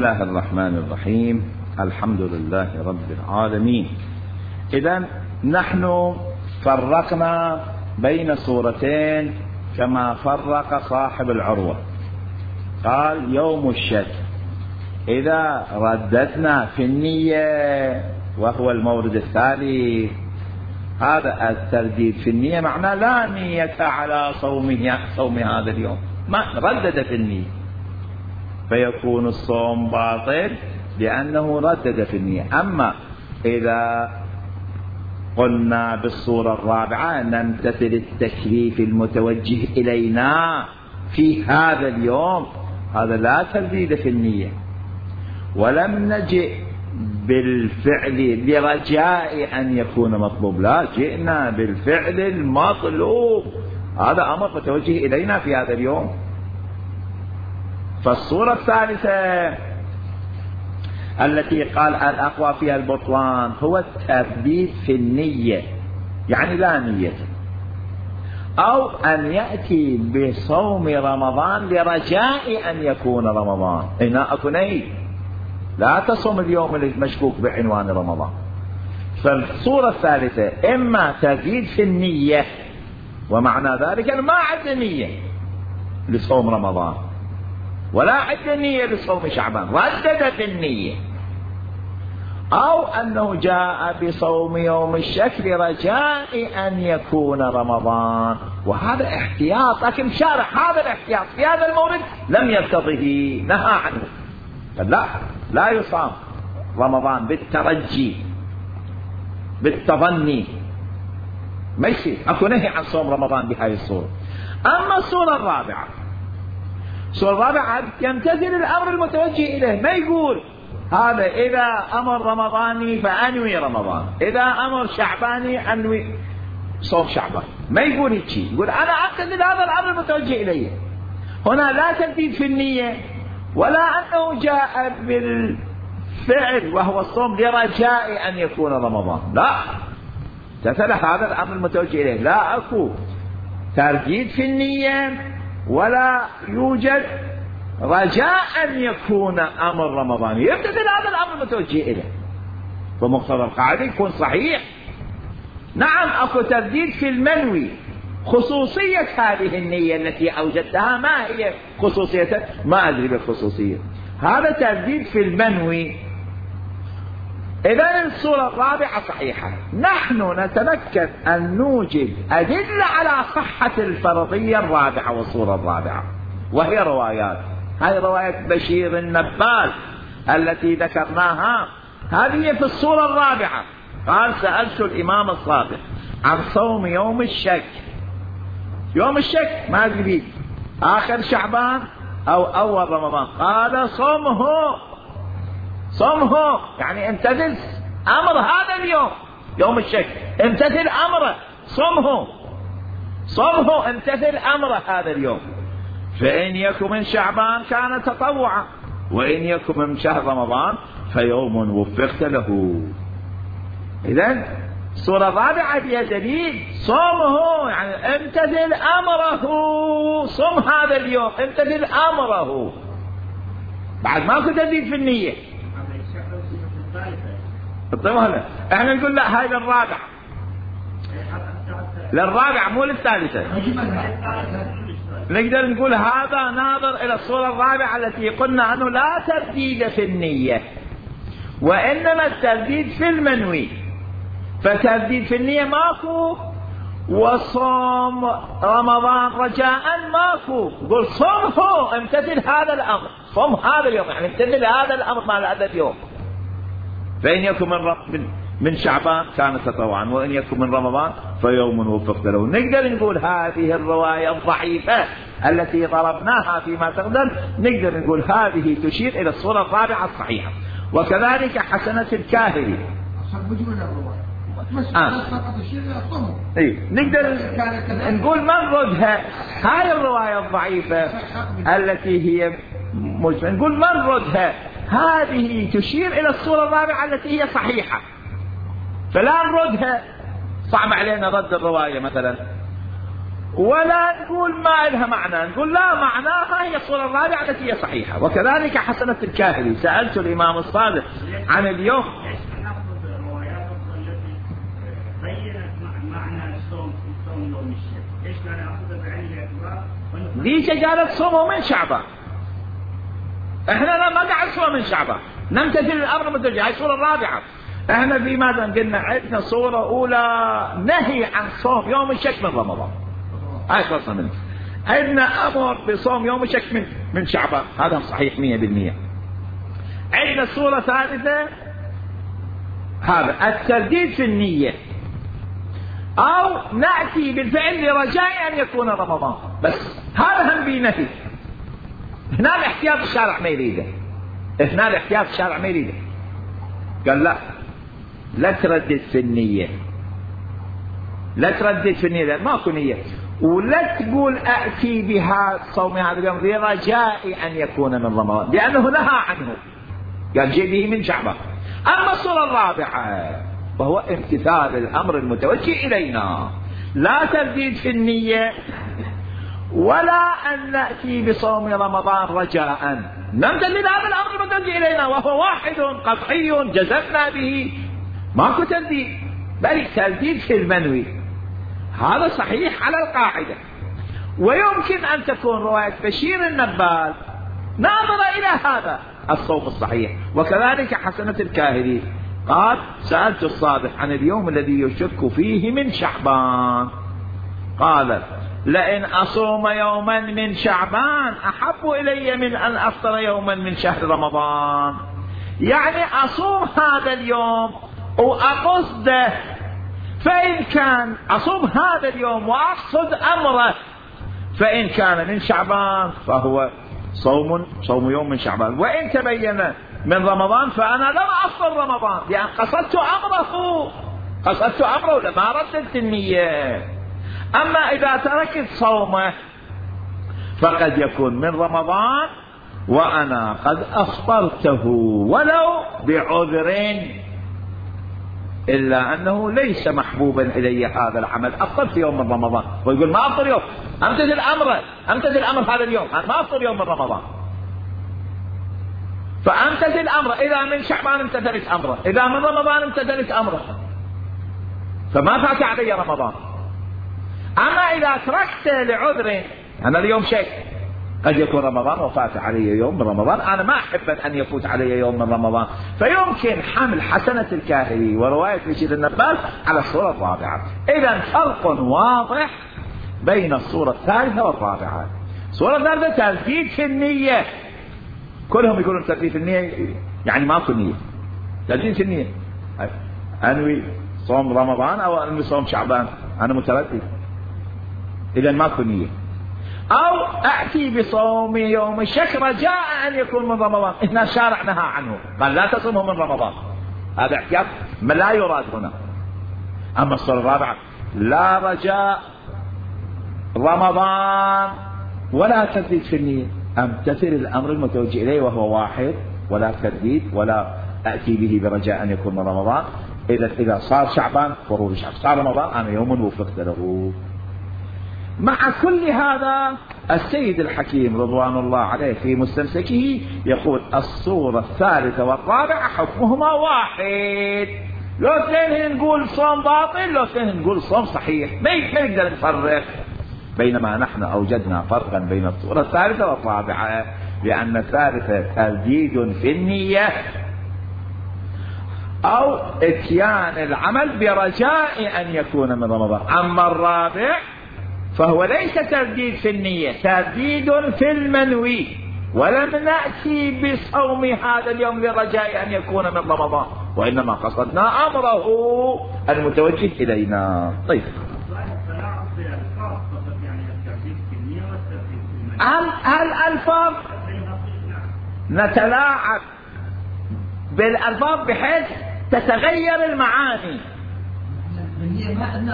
الله الرحمن الرحيم. الحمد لله رب العالمين. إذن نحن فرقنا بين سورتين كما فرق صاحب العروة، قال يوم الشك إذا رددنا في النية وهو المورد الثالث، هذا الترديد في النية معناه لا نية على صوم هذا اليوم، ما ردد في النية فيكون الصوم باطل لأنه ردد في النية. أما إذا قلنا بالصورة الرابعة نمتثل التكليف المتوجه إلينا في هذا اليوم، هذا لا ترديد في النية، ولم نجئ بالفعل لرجاء أن يكون مطلوب، لا، جئنا بالفعل المطلوب، هذا أمر متوجه إلينا في هذا اليوم. فالصورة الثالثة التي قال الأقوى فيها البطلان هو الترديد في النية، يعني لا نية، أو أن يأتي بصوم رمضان لرجاء أن يكون رمضان، هنا أكو نية، لا تصوم اليوم المشكوك بعنوان رمضان. فالصورة الثالثة إما ترديد في النية، ومعنى ذلك أن ما عندنا نية لصوم رمضان ولا عندنا نية لصوم شعبان، ردد في النية، أو أنه جاء بصوم يوم الشك رجاء أن يكون رمضان، وهذا احتياط، لكن شارح هذا الاحتياط في هذا المورد لم يرتضه، نهى عنه، لا يصام رمضان بالترجي بالتظني، ما يصير، اكو نهي عن صوم رمضان بهذه الصورة. أما الصورة الرابعة يمتثل الأمر المتوجه إليه، ما يقول هذا إذا أمر رمضاني فأنوي رمضان، إذا أمر شعباني أنوي صوم شعبان، ما يقول هيك، يقول أنا أمتثل هذا الأمر المتوجه إليه. هنا لا ترديد في النية، ولا أنه جاء بالفعل وهو الصوم لرجاء أن يكون رمضان، لا، امتثل هذا الأمر المتوجه إليه، لا أكو ترديد في النية ولا يوجد رجاء أن يكون أمر رمضان، يمتثل هذا الأمر المتوجه إليه، فمقتضى القاعدة يكون صحيح. نعم أكو ترديد في المنوي، خصوصية هذه النية التي أوجدتها ما هي خصوصية؟ ما أدري بالخصوصية، هذا ترديد في المنوي. إذن الصورة الرابعة صحيحة. نحن نتمكن أن نوجد أدلة على صحة الفرضية الرابعة والصورة الرابعة، وهي روايات، هذه رواية بشير النبال التي ذكرناها، هذه في الصورة الرابعة. قال سألت الإمام الصادق عن صوم يوم الشك، يوم الشك ما أدري آخر شعبان أو أول رمضان، قال صمه، يعني امتثل أمر هذا اليوم، يوم الشك امتثل أمره، صمه امتثل أمره هذا اليوم، فإن يكن من شعبان كان تطوعا، وإن يكن من شهر رمضان فيوم وفقت له. إذن الصورة الرابعة فيها دليل، صومه يعني امتثل أمره، صم هذا اليوم امتثل أمره، بعد ماكو دليل في النية. احنا نقول لا، هاي للرابعة مو للثالثة. نقدر نقول هذا ناظر إلى الصورة الرابعة التي قلنا أنه لا ترديد في النية، وإنما الترديد في المنوي، فترديد في النية ماكو، وصوم رمضان رجاء ماكو، قل صمه امتثل هذا الأمر، صم هذا اليوم يعني امتثل هذا الأمر مع هذا اليوم، فإن يكن من شعبان كان تطوعا، وإن يكن من رمضان فيوم وفقت له. نقدر نقول هذه الرواية الضعيفة التي ضربناها فيما تقدم، نقدر نقول هذه تشير إلى الصورة الرابعة الصحيحة. وكذلك حسنة الكاهلي، نقدر نقول من ردها هاي الرواية الضعيفة التي هي نقول من ردها، هذه تشير إلى الصورة الرابعة التي هي صحيحة، فلا نردها، صعب علينا رد الرواية مثلا. ولا نقول ما لها معنى، نقول لا معناها هي الصورة الرابعة التي هي صحيحة. وكذلك حسنة الكاهلي، سألت الإمام الصادق عن اليوم ليش قالت صوموا من شعبان؟ احنا ما قاعد نصوم من شعبان، نمتثل الامر المتوجه. هاي الصورة الرابعة. احنا في ماذا قلنا؟ عندنا صورة اولى نهي عن صوم يوم الشك من رمضان، هاي خلصنا منه. عندنا امر بصوم يوم الشك من شعبان، هذا صحيح 100%. عندنا صورة ثالثة هذا الترديد في النية، او نأتي بالفعل لرجاء ان يكون رمضان، بس هذا هم بنهي. هنا الاحتياط الشارع ما يريده، هنا الاحتياط الشارع ما يريده. قال لا تردد في النية، لا تردد في النية لأن ماكو نية، ولا تقول أأتي بها صوم هذا اليوم لرجاء أن يكون من رمضان، لأنه نهى عنه، قال جيبه من شعبان. أما الصورة الرابعة وهو امتثال الأمر المتوجه إلينا، لا ترديد في النية ولا أن نأتي بصوم رمضان رجاء، نمتثل هذا الأمر المتوجه إلينا وهو واحد قطعي جزمنا به، ماكو ترديد، بل ترديد في المنوي. هذا صحيح على القاعدة. ويمكن أن تكون رواية بشير النبال ناظرة إلى هذا الصوم الصحيح. وكذلك حسنة الكاهلي قال سألت الصادق عن اليوم الذي يشك فيه من شعبان، قال لئن أصوم يوما من شعبان أحب إلي من أن أفطر يوما من شهر رمضان. يعني أصوم هذا اليوم وأقصده، فإن كان أصوم هذا اليوم وأقصد أمره فإن كان من شعبان فهو صوم يوم من شعبان، وإن تبين من رمضان فأنا لم أفطر رمضان لأن قصدت أمره لما رددت النية. أما إذا تركت صومه فقد يكون من رمضان وأنا قد أفطرته ولو بعذر، إلا أنه ليس محبوبا إلي هذا العمل، أفطر في يوم من رمضان ويقول ما أفطر يوم، أمتثل أمر هذا اليوم، أنا ما أفطر يوم من رمضان، فأمتثل أمره. إذا من شعبان امتثلت أمره، إذا من رمضان امتثلت أمره، فما فات علي رمضان. أما إذا تركت لعذر، أنا اليوم شيء قد يكون رمضان وفات علي يوم من رمضان، أنا ما أحب أن يفوت علي يوم من رمضان، فيمكن حمل حسنة الكاهلي ورواية بشير النبال على الصورة الرابعة. إذا فرق واضح بين الصورة الثالثة والرابعة. الصورة الثالثة ترديد في النية، كلهم يقولون ترديد في النية يعني ماكو نية، ترديد في النية أنوي صوم رمضان أو أنوي صوم شعبان، أنا متردد، إذا ماكو نية. أو أأتي بصوم يوم الشك رجاء أن يكون من رمضان، إن الشارع نهى عنه قال لا تصومه من رمضان، هذا احتياط ما لا يراد هنا. أما الصورة الرابعة لا رجاء رمضان ولا ترديد في النية، أمتثل الأمر المتوجه إليه وهو واحد، ولا ترديد ولا أأتي به برجاء أن يكون من رمضان. إذا صار شعبان فرور شعبان، صار رمضان أنا يوم وفقت له. مع كل هذا السيد الحكيم رضوان الله عليه في مستمسكه يقول الصورة الثالثة والرابعة حكمهما واحد، لو اثنين نقول صوم باطل لو اثنين نقول صوم صحيح، ما نقدر نفرق. بينما نحن أوجدنا فرقا بين الصورة الثالثة والرابعة، لأن الثالثة ترديد في النية أو اتيان العمل برجاء أن يكون من رمضان. أما الرابع فهو ليس ترديد في النية، ترديد في المنوي، ولم نأتي بصوم هذا اليوم لرجاء أن يكون من رمضان، وإنما قصدنا أمره المتوجه إلينا. طيب هل الألفاظ نتلاعب بالألفاظ بحيث تتغير المعاني؟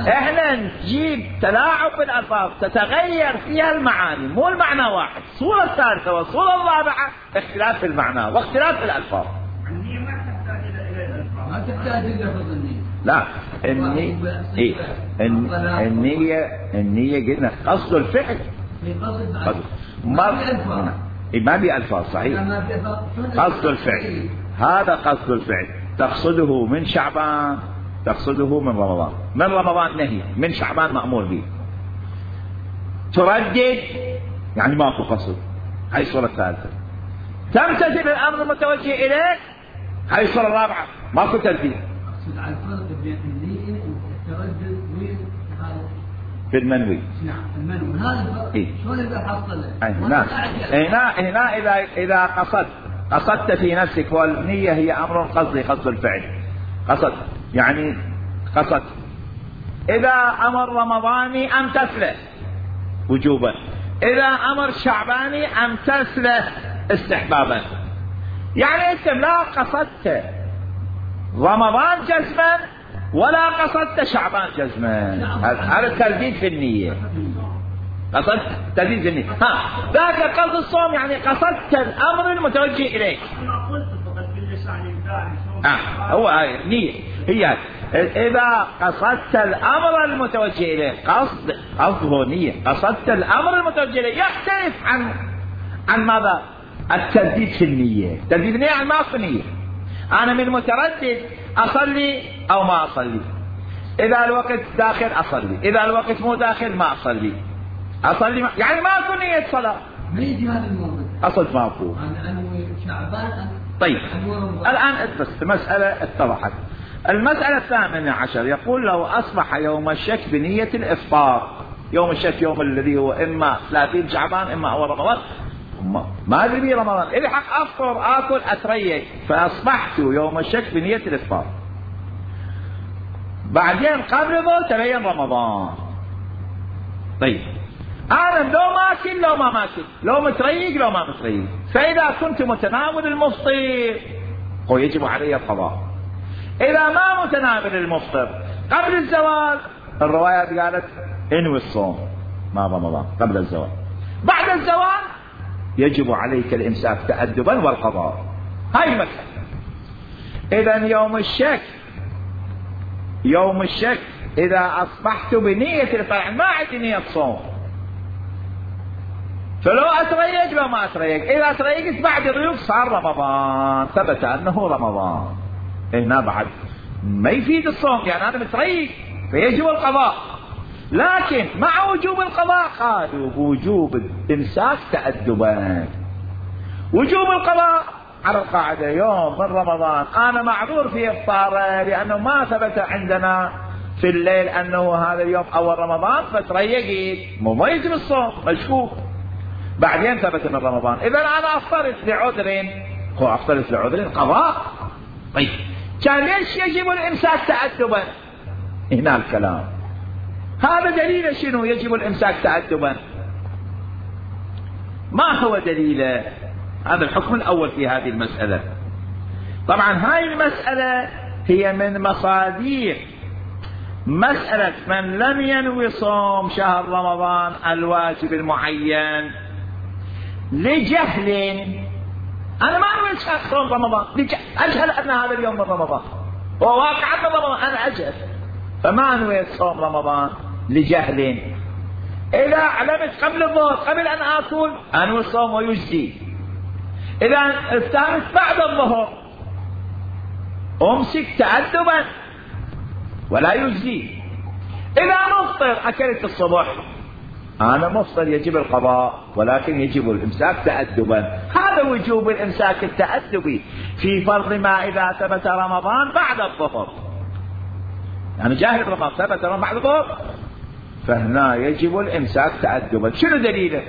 احنا نجيب تلاعب بالألفاظ تتغير فيها المعاني، مو المعنى واحد. الصورة الثالثة والصورة الرابعة اختلاف في المعنى واختلاف في الألفاظ. ما تحتاج إلى لفظ النية. لا النية قلنا قصد الفعل. ما بألفاظ صحيح. قصد الفعل، هذا قصد الفعل. تقصده من شعبان، تقصده من رمضان. من رمضان نهي، من شعبان مأمور به. تردد يعني ماكو قصد، هاي الصورة الثالثة. تمتثل الأمر المتوجه إليك، هاي الصورة الرابعة، ماكو ترديد. أقصد على الفرق بين النية والتردد في المنوي. نعم المنوي، هذا الفرق شلون إذا حصله؟ هنا إذا قصدت في نفسك، والنية هي أمر قصدي، قصد الفعل. قصد يعني قصد. إذا أمر رمضاني أمتثله وجوبا، إذا أمر شعباني أمتثله استحبابا. يعني أنت لا قصدت رمضان جزما ولا قصدت شعبان جزما، هذا الترديد في النية. قصدت ترديد في النية. ذاك قصد الصوم يعني قصدت الأمر المتوجه إليك. هو هاي نية، هي إذا قصدت الأمر المتوجه إليك، قصده نية. قصدت الأمر المتوجه إليك يختلف عن ماذا؟ الترديد في النية. ترديد النية عن ما في نية. أنا من متردد أصلي أو ما أصلي، إذا الوقت داخل أصلي، إذا الوقت مو داخل ما أصلي. يعني ما أكون نية صلاة. ما يجي هذا الموضوع. أصل ما أكون. أنا شعبان. طيب الآن بس المسألة اتضحت. المسألة 18 يقول لو أصبح يوم الشك بنية الإفطار. يوم الشك يوم الذي هو إما 30 شعبان إما أول رمضان، ما أدري بي رمضان، إذا حق أفطر آكل أتريق، فأصبحت يوم الشك بنية الإفطار. بعدين قبل ذو تبين رمضان. طيب أنا لو ماكل لو ما ماكل، لو متريق لو ما متريق، فإذا كنت متناول المفطر يجب علي القضاء. إذا ما متناول المفطر قبل الزوال، الروايات قالت انوي الصوم مع رمضان قبل الزوال. بعد الزوال يجب عليك الإمساك تأدبا والقضاء. هاي المسألة. إذا يوم الشك إذا أصبحت بنية الفرع، ما عندي نية صوم، فلو أتريق لو ما أتريق، إذا أتريقت بعد الريوق صار رمضان، ثبت أنه رمضان. هنا بعد ما يفيد الصوم، يعني أنا متريق فيجب القضاء. لكن مع وجوب القضاء قالوا بوجوب الإمساك تأدبا. وجوب القضاء على القاعدة يوم من رمضان أنا معذور في إفطاره لأنه ما ثبت عندنا في الليل أنه هذا اليوم أول رمضان، فتريقت مو يجب الصوم مشكوك، بعدين ثبت من رمضان. إذا أنا أفترض لعذر قضاء. طيب كان ليش يجب الإمساك تأدبا؟ هنا الكلام. هذا دليل شنو يجب الإمساك تأدبا؟ ما هو دليله؟ هذا الحكم الأول في هذه المسألة. طبعا هاي المسألة هي من مصادر مسألة من لم ينوي صوم شهر رمضان الواجب المعين لجهل. أنا ما أنوي صوم رمضان، أجهل أن هذا اليوم من رمضان، وواقعا من رمضان أنا أجهل، فما أنوي صوم رمضان لجهل. إذا علمت قبل الظهر قبل أن آكل أنوي الصوم ويجزي. إذا افتهمت بعد الظهر أمسك تأدبا ولا يجزي. إذا مفطر أكلت الصبح أنا مفطر يجب القضاء، ولكن يجب الإمساك تأدبا. هذا وجوب الإمساك التأدبي في فرض ما إذا ثبت رمضان بعد الظهر، يعني جاهل رمضان ثبت رمضان بعد الظهر، فهنا يجب الإمساك تأدبا. شنو دليله؟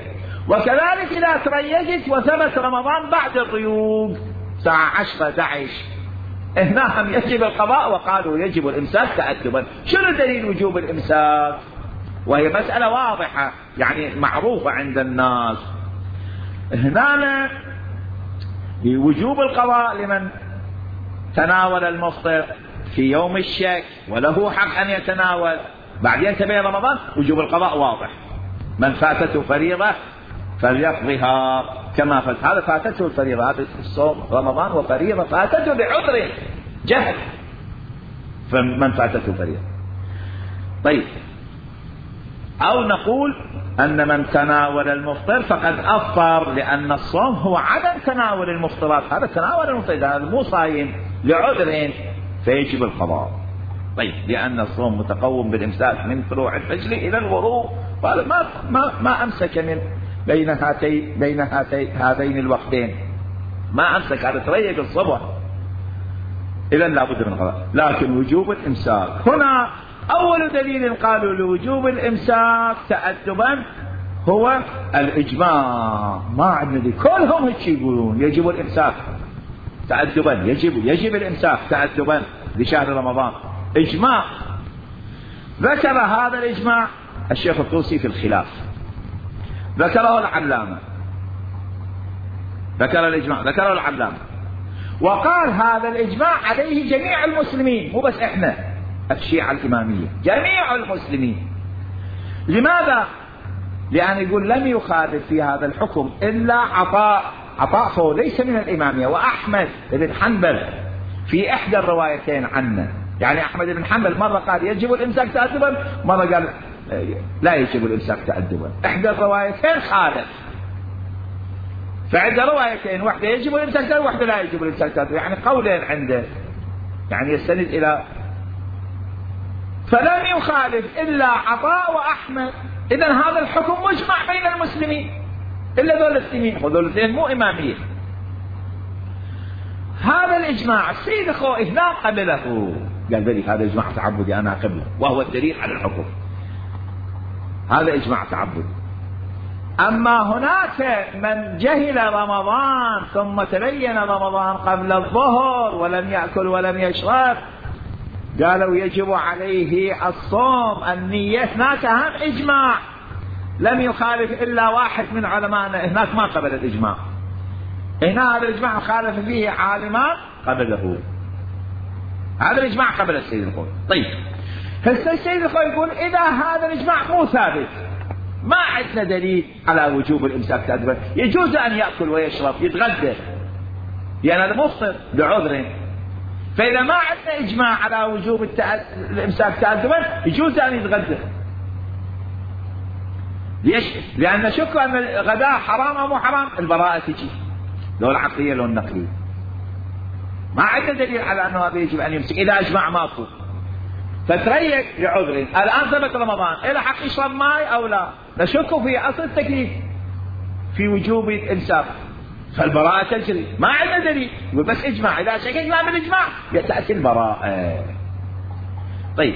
وكذلك إذا تريقت وثبت رمضان بعد الريوق الساعة 10 11 هنا هم يجب القضاء، وقالوا يجب الإمساك تأدبا. شنو دليل وجوب الإمساك؟ وهي مسألة واضحة يعني معروفة عند الناس. هنا بوجوب القضاء لمن تناول المفطر في يوم الشك وله حق أن يتناول، بعدين تبين رمضان وجوب القضاء واضح. من فاتته فريضة فليقضيها كما فات. هذا فاتته الفريضة، هذا الصوم رمضان وفريضة فاتته بعذر جهل، فمن فاتته فريضة. طيب، أو نقول أن من تناول المفطر فقد أفطر، لأن الصوم هو عدم تناول المفطرات، هذا تناول المفطر، هذا مو صايم لعذر فيجب القضاء. طيب، لأن الصوم متقوم بالإمساك من طلوع الفجر إلى الغروب، وهذا ما أمسك من بين هذين الوقتين، ما أمسك، هذا تريق الصبح، إذا لابد من القضاء. لكن وجوب الإمساك هنا أول دليل قالوا لوجوب الإمساك تأدبا هو الإجماع. ما عندنا كلهم هيك يقولون يجب الإمساك تأدبا، يجب الإمساك تأدبا لشهر رمضان، إجماع. ذكر هذا الإجماع الشيخ الطوسي في الخلاف، ذكره العلامة، ذكر الإجماع، ذكره العلامة، وقال هذا الإجماع عليه جميع المسلمين، مو بس إحنا الشيعة الإمامية، جميع المسلمين. لماذا؟ لأن يقول لم يخالف في هذا الحكم إلا عطاء فهو ليس من الإمامية، وأحمد بن حنبل في إحدى الروايتين عنه، يعني أحمد بن حنبل مرة قال يجب الإمساك تأدبا، مرة قال لا يجب الإمساك تأدبا، إحدى الروايتين خالف. فعند روايتين، واحدة يجب الإمساك تأدبا، واحدة لا يجب الإمساك تأدبا، يعني قولين عنده، يعني يستند إلى، فلم يخالف إلا عطاء وأحمد. إذن هذا الحكم مجمع بين المسلمين إلا ذول الاثنين، وذول الاثنين مو إمامية. هذا الإجماع السيد الخوئي لا قبله، قال ذلك هذا إجماع تعبدي أنا قبله، وهو الدليل على الحكم، هذا إجماع تعبدي. أما هناك من جهل رمضان ثم تبين رمضان قبل الظهر ولم يأكل ولم يشرب، قالوا يجب عليه الصوم، النية. هناك هم إجماع لم يخالف إلا واحد من علمائنا، هناك ما قبل الإجماع، هنا هذا الإجماع خالف فيه عالمان قبله، هذا الإجماع قبل السيد الخوئي. طيب، هسه السيد الخوئي يقول إذا هذا الإجماع مو ثابت، ما عندنا دليل على وجوب الإمساك تأدبا، يجوز أن يأكل ويشرب يتغدى، يعني هذا مفطر لعذر، فإذا ما عندنا إجماع على وجوب الإمساك تأدبا يجوز أن يتغدى. ليش؟ لأن شك أن الغداء حرام أو مو حرام، البراءة تجي، لو العقلية لو النقلية. ما عندنا دليل على أنه هذا يجب أن يمسك إذا إجماع ماكو، فتريق لعذر. الآن ثبت رمضان، إلى حق يشرب ماء أو لا، نشك في أصل التكليف في وجوب الإمساك، فالبراءة تجري، ما عندنا دليل، يقول بس إجماع، إذا شككنا بالإجماع يتأتي البراءة. طيب،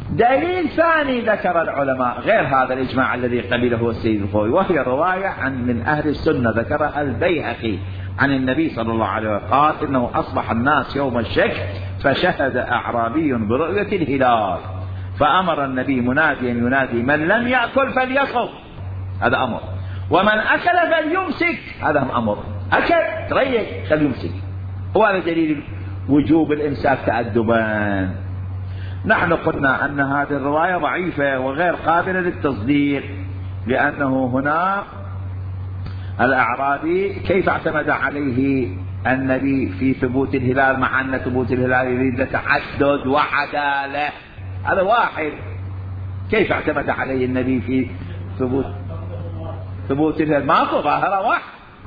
دليل ثاني ذكر العلماء غير هذا الإجماع الذي قبله السيد الخوئي، وهي رواية من أهل السنة ذكرها البيهقي عن النبي صلى الله عليه وسلم قال إنه أصبح الناس يوم الشك فشهد أعرابي برؤية الهلال، فأمر النبي مناديا ينادي من لم يأكل فليصم، هذا أمر، ومن أكل فليمسك، هذا أمر، أكل تريق فليمسك، وهذا دليل وجوب الإمساك تأدبا. نحن قلنا أن هذه الرواية ضعيفة وغير قابلة للتصديق، لأنه هنا الأعرابي كيف اعتمد عليه النبي في ثبوت الهلال، مع أن ثبوت الهلال يريد تعدد وعدالة، هذا واحد، كيف اعتمد عليه النبي في ثبوت الهلال؟ ماكو ظاهرة واحد،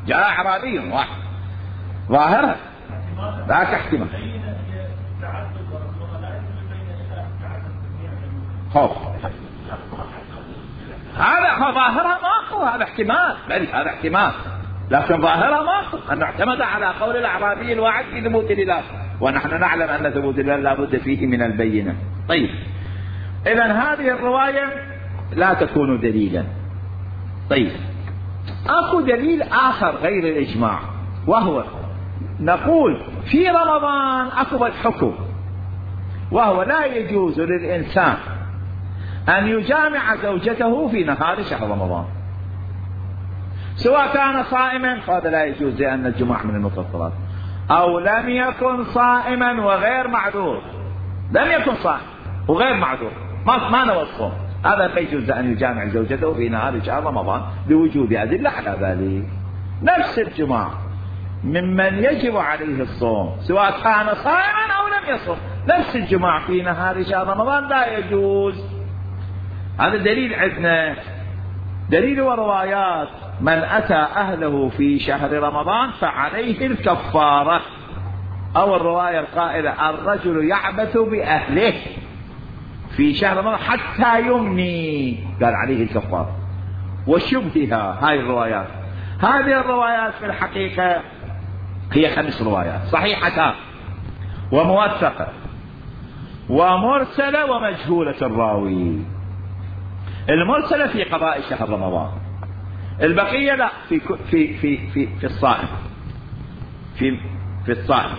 جاء أعرابي واحد ظاهرة ذاك احتمال. هذا ظاهرها ماكو، هذا احتمال، بل هذا احتمال، لكن ظاهرها ماكو، أن اعتمد على قول الأعرابي الواحد في ثبوت الهلال، ونحن نعلم أن ثبوت الهلال لا بد فيه من البينة. طيب، إذن هذه الرواية لا تكون دليلا. طيب، أكو دليل آخر غير الإجماع، وهو نقول في رمضان أكو الحكم، وهو لا يجوز للإنسان أن يجامع زوجته في نهار شهر رمضان، سواء كان صائما فهذا لا يجوز لأن الجماع من المفطرات، أو لم يكن صائما وغير معذور، لم يكن صائم وغير معذور ما نوى الصوم، هذا لا يجوز أن يجامع زوجته في نهار شهر رمضان لوجود أدلة على ذلك. نفس الجماع ممن يجب عليه الصوم سواء كان صائما أو لم يصم، نفس الجماع في نهار شهر رمضان لا يجوز. هذا دليل عندنا. دليل وروايات: من أتى أهله في شهر رمضان فعليه الكفارة. أو الرواية القائلة: الرجل يعبث بأهله في شهر رمضان حتى يمني، قال عليه الكفارة. وشبه هاي الروايات. هذه الروايات في الحقيقة هي 5 روايات صحيحة وموثقة ومرسلة ومجهولة الراوي. المرسلة في قضاء شهر رمضان، البقية لا، في الصائم، في الصائم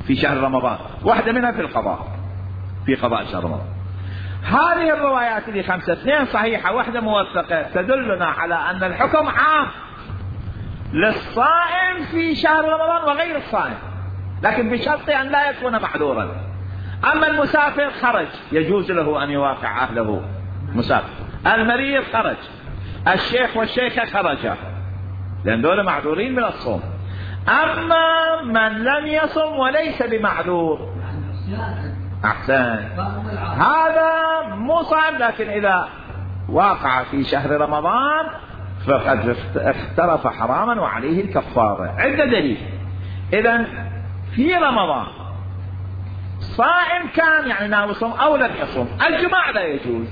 في شهر رمضان، واحدة منها في القضاء، في قضاء شهر رمضان. هذه الروايات اللي 5، 2 صحيحة واحدة موثقة، تدلنا على أن الحكم عام للصائم في شهر رمضان وغير الصائم، لكن بشرط أن لا يكون معذورا. أما المسافر خرج يجوز له أن يوافع أهله مسافر، المريض خرج، الشيخ والشيخة خرجا، لأن دول معذورين من الصوم. أما من لم يصم وليس بمعذور، أحسن، هذا مو صائم، لكن إذا واقع في شهر رمضان فقد اقترف حراما وعليه الكفارة. عندنا دليل. إذن في رمضان صائم كان يعني ناوي صوم أو لم يصوم، الجماع لا يجوز،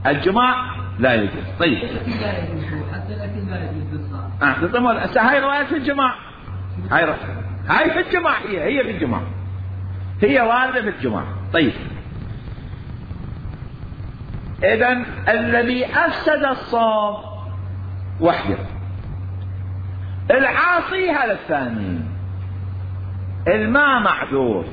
الجماع لا يجوز. طيب حتى الأكل لا يجوز. هاي رواية في الجماع، هاي في الجماع، هي في الجماع، هي واردة في الجماع. طيب إذن الذي أفسد الصوم وحده، العاصي هذا الثاني، الماء معذور،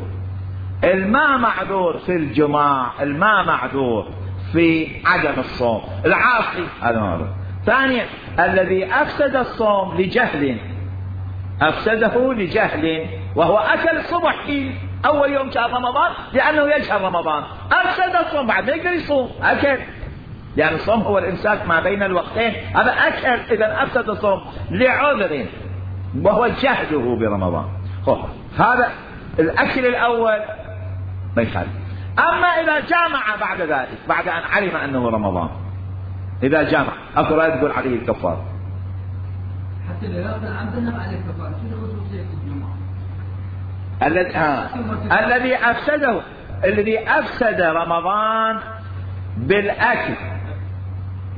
الماء معذور في الجماع، الماء معذور في عدم الصوم، العاصي هذا معذور. ثانيا الذي أفسد الصوم لجهل، أفسده لجهل، وهو أكل صبح في أول يوم شهر رمضان لأنه يجهل رمضان، أفسد الصوم، بعد ما يقدر يصوم، أكل، يعني الصوم هو الإمساك ما بين الوقتين، هذا أكل، إذا أفسد الصوم لعذر وهو جهله برمضان. هذا الأكل الأول ما يخالف. أما إذا جامع بعد ذلك، بعد أن علم أنه رمضان، إذا جامع أقول تقول عليه الكفار. حتى لو يأكل عمدنا عليه الكفار، شنو خصوصية الجمعة؟ الذي أفسد رمضان بالأكل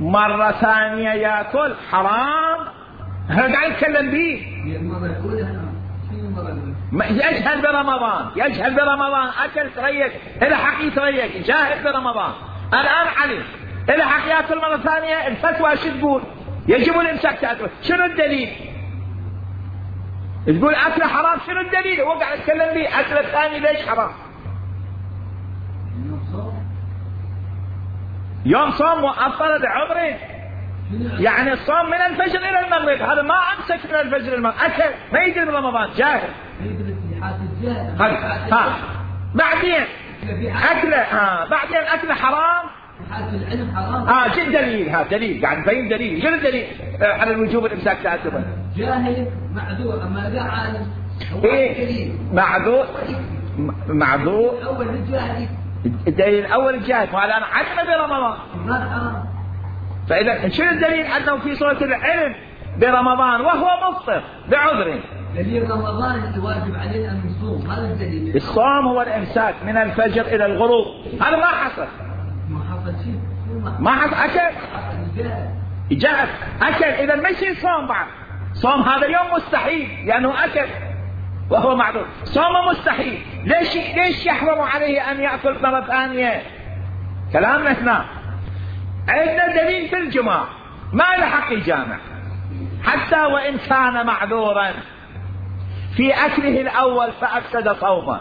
مرة ثانية يأكل حرام، هذا قاعد يتكلم به. يجهل برمضان، يجهل برمضان، أكل تريق، إلى حق يتريق، جاهل برمضان، الآن علم، إلى حق يأكل مرة ثانية، الفتوى شو تقول؟ يجب الإمساك تأكل. شنو الدليل؟ تقول أكل حرام، شنو الدليل؟ هو قاعد يتكلم به، أكل الثاني ليش حرام؟ يوم صوم وأفطر بعذره، يعني الصوم من الفجر إلى المغرب، هذا ما أمسك من الفجر إلى المغرب، أكل ما يدري برمضان، جاهل. بعدين أكله، بعدين أكله حرام. جد دليل، هذا دليل قاعد نبين دليل. شنو الدليل على الوجوب الإمساك تأكله؟ جاهل معذور، أما لا عالم. إيه معذور أول الجاهل، الدليل الأول الجاهل، وهذا أنا علم برمضان. فإذا شنو الدليل أنه في صورة العلم برمضان وهو مفطر بعذر؟ دليل رمضان الواجب علينا أن نصوم، هذا الدليل. الصوم هو الإمساك من الفجر إلى الغروب، هذا ما حصل. ما حصل شيء. ما حصل، أكل جاء أكل، إذا ما يصير صوم بعد. صوم هذا يوم مستحيل لأنه أكل وهو معذور، صوم مستحيل. ليش يحرم عليه أن يأكل مرة ثانية؟ كلامنا هنا عندنا دليل في الجماع، ما له حق يجامع حتى وإن كان معذورا في أكله الأول فأفسد صومه،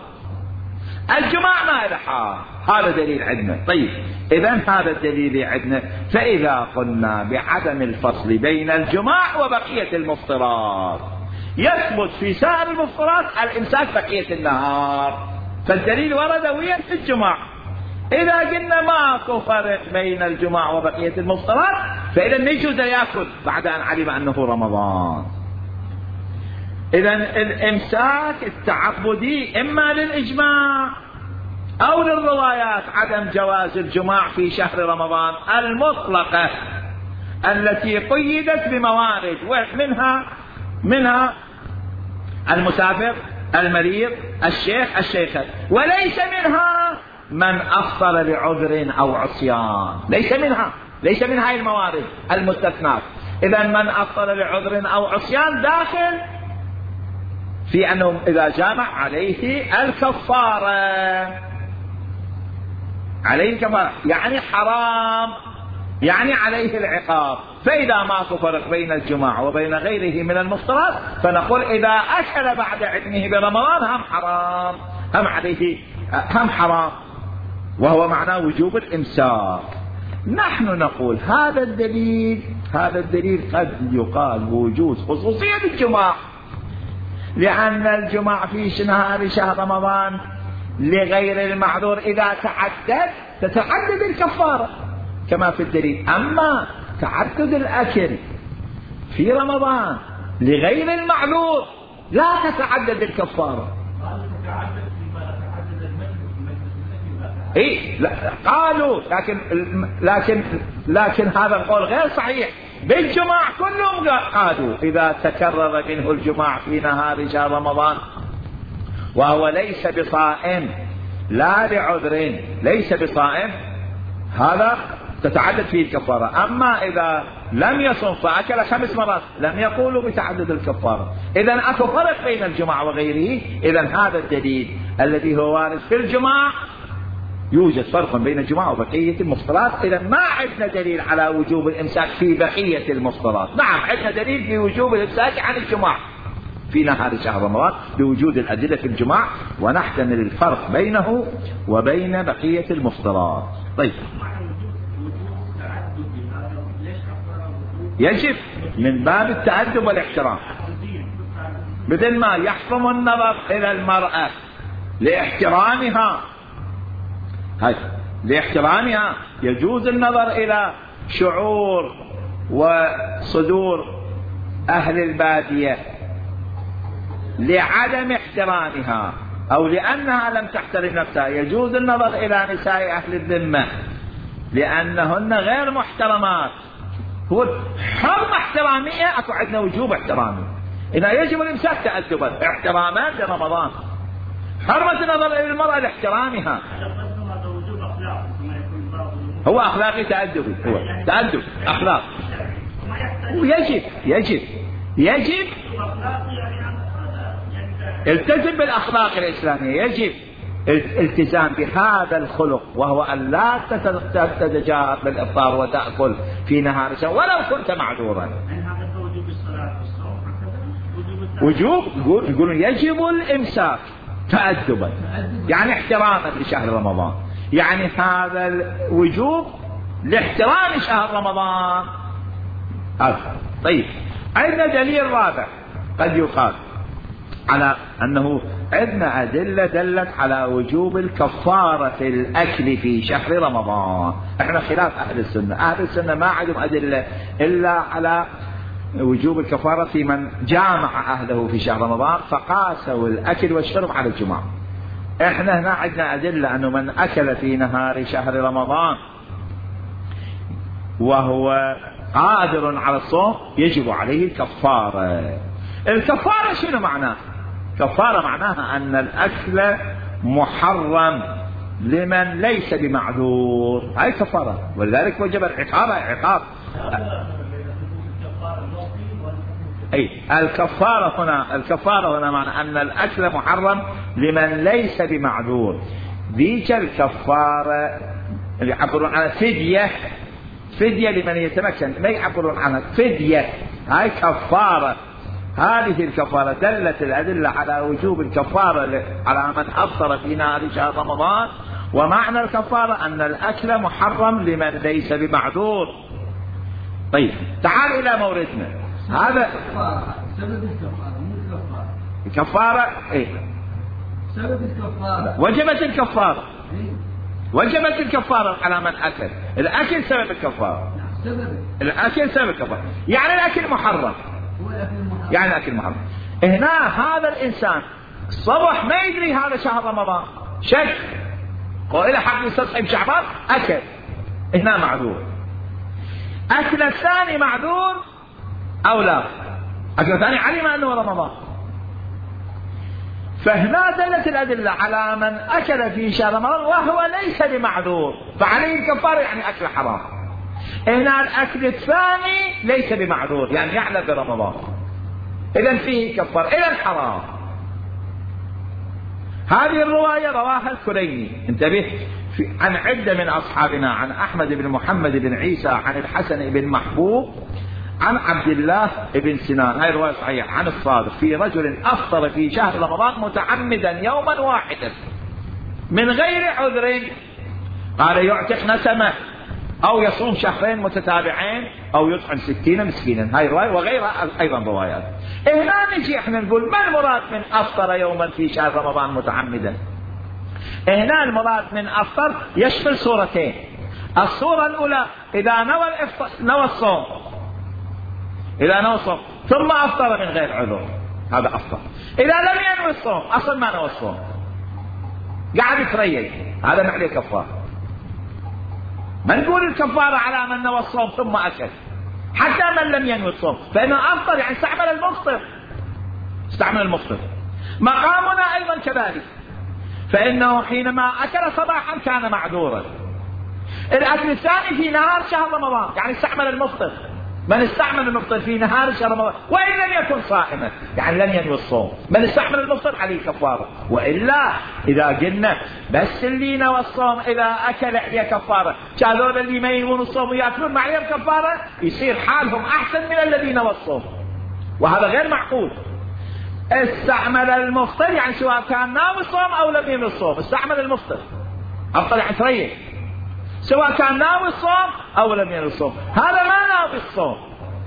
الجماع ما له حق، هذا دليل عندنا. طيب إذن هذا الدليل عندنا. فإذا قلنا بعدم الفصل بين الجماع وبقية المفطرات، يثبت في سائر المفطرات الإمساك بقية النهار، فالدليل ورد ويا في الجماع. إذا قلنا ماكو فرق بين الجماع وبقية المفطرات، فإذا يجوز يأكل بعد أن علم أنه رمضان. إذن الإمساك التعبدي إما للإجماع أو للروايات عدم جواز الجماع في شهر رمضان المطلقة التي قيدت بموارد، منها المسافر، المريض، الشيخ، الشيخة، وليس منها من أفطر لعذر أو عصيان، ليس منها الموارد المستثنات. إذن من أفطر لعذر أو عصيان داخل في أنه إذا جامع عليه الكفارة، يعني حرام، يعني عليه العقاب. فإذا ماكو فرق بين الجماع وبين غيره من المفطرات فنقول إذا أكل بعد عتمه برمضان هم حرام، وهو معناه وجوب الإمساك. نحن نقول هذا الدليل قد يقال بوجود خصوصية الجماع، لأن الجماع في نهار شهر رمضان لغير المعذور إذا تتعدد الكفارة كما في الدليل. أما تعدد الأكل في رمضان لغير المعذور لا تتعدد الكفارة. لا قالوا، لكن هذا القول غير صحيح. بالجماع كلهم قالوا إذا تكرر منه الجماع في نهار شهر رمضان وهو ليس بصائم لا لعذر، ليس بصائم، هذا تتعدد فيه الكفارة. أما إذا لم يصم فأكل 5 مرات لم يقولوا بتعدد الكفارة. إذن أكو فرق بين الجماع وغيره. إذن هذا الدليل الذي هو وارد في الجماع، يوجد فرق بين الجماع وبقية المفطرات. إذن ما عندنا دليل على وجوب الإمساك في بقية المفطرات. نعم عندنا دليل في وجوب الإمساك عن الجماع في نهار شهر رمضان بوجود الأدلة في الجماع، ونحتمل الفرق بينه وبين بقية المفطرات. طيب، يجب من باب التأدب والاحترام، مثل ما يحرم النظر إلى المرأة لاحترامها يجوز النظر إلى شعور وصدور أهل البادية لعدم احترامها أو لأنها لم تحترم نفسها. يجوز النظر إلى نساء أهل الذمة لأنهن غير محترمات. هو حرمة احترامية، أكو عندنا وجوب احترامي. إذا يجب الإمساك تأدبا احتراما لرمضان. حرمة النظر إلى المرأة لاحترامها هو أخلاقي تأدبي، هو تأدب أخلاق. يجب التزم بالأخلاق الإسلامية، يجب الالتزام بهذا الخلق، وهو أن لا تتجاهر بالإفطار وتأكل في نهار الشهر ولو كنت معذورا. يقولون يجب الإمساك تأدبا، يعني احتراما لشهر رمضان، يعني هذا الوجوب لاحترام شهر رمضان. طيب، عندنا دليل رابع قد يقال على أنه عندنا أدلة دلت على وجوب الكفارة في الأكل في شهر رمضان. احنا خلاف أهل السنة ما عندهم أدلة إلا على وجوب الكفارة في من جامع أهله في شهر رمضان فقاسوا الأكل والشرب على الجماع. احنا هنا عندنا أدلة أنه من أكل في نهار شهر رمضان وهو قادر على الصوم يجب عليه الكفارة. الكفارة شنو معناه؟ كفارة معناها أن الأكل محرم لمن ليس بمعذور، هاي كفارة، ولذلك وجب عقاب. الكفارة هنا معنى أن الأكل محرم لمن ليس بمعذور. ذيك الكفارة اللي يعبرون عنها فدية لمن يتمكن، ما يعبرون عنها فدية، هاي كفارة. هذه الكفارة دلت الأدلة على وجوب الكفارة على من أفطر في نهار شهر رمضان. ومعنى الكفارة أن الأكل محرم لمن ليس بمعذور. طيب، تعال إلى موردنا. هذا سبب الكفارة، مو الكفارة. سبب الكفارة وجبت الكفارة على من أكل. الأكل سبب الكفارة. الأكل سبب الكفارة، يعني الأكل محرم. يعني الأكل محرم. هنا هذا الإنسان الصبح ما يدري هذا شهر رمضان، شك وإلى حق يستصحب شعبان أكل، هنا معذور. أكل الثاني معذور أو لا؟ أكل الثاني علم أنه رمضان، فهنا دلت الأدلة على من أكل في شهر رمضان وهو ليس بمعذور فعليه الكفارة، يعني أكل حرام. هنا الأكل الثاني ليس بمعذور، يعني يعلم برمضان، إذن فيه كفارة، إذن حرام. هذه الرواية رواها الكليني، انتبه، عن عدة من أصحابنا، عن أحمد بن محمد بن عيسى، عن الحسن بن محبوب، عن عبد الله بن سنان، هاي الرواية صحيحة، عن الصادق في رجل أفطر في شهر رمضان متعمدا يوما واحدا من غير عذر، قال يعتق نسمة أو يصوم شهرين متتابعين أو يطعم 60 مسكينا، هاي الرواية وغيرها أيضا روايات. هنا نجي احنا نقول ما المراد من أفطر يوما في شهر رمضان متعمدا؟ هنا المراد من أفطر يشمل صورتين، الصورة الأولى إذا نوى الصوم، إذا نوى الصوم ثم أفطر من غير عذر هذا أفطر. إذا لم ينوي الصوم أصلا ما نوى الصوم قاعد يتريق، هذا ما عليه كفارة. ما نقول الكفارة على من نوى الصوم ثم أكل، حتى من لم ينوي الصوم فإنه أفطر، يعني استعمل المفطر، استعمل المفطر. مقامنا أيضا كذلك، فإنه حينما أكل صباحا كان معذورا. الأكل الثاني في نهار شهر رمضان، يعني استعمل المفطر. من استعمل المفطر في نهار شهر رمضان وإن لم يكن صائما، يعني لم ينوي الصوم، من استعمل المفطر عليه كفارة. وإلا إذا قلنا بس اللي نوى الصوم إذا أكل عليه كفارة، هذول اللي ما ينوون الصوم ويأكلون ما عليهم كفارة، يصير حالهم أحسن من الذي نوى الصوم، وهذا غير معقول. استعمل المفطر يعني سواء كان ناوي الصوم أو لم ينوي الصوم، استعمل المفطر أفضل، يعني تريح سواء كان ناوي الصوم أو لم ينوي الصوم. هذا ما ناوي الصوم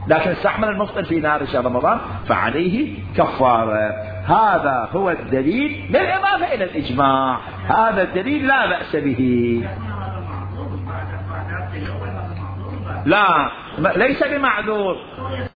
لكن استعمل المفطر في نهار شهر رمضان فعليه كفارة. هذا هو الدليل بالإضافة إلى الإجماع، هذا الدليل لا بأس به. لا ليس بمعذور.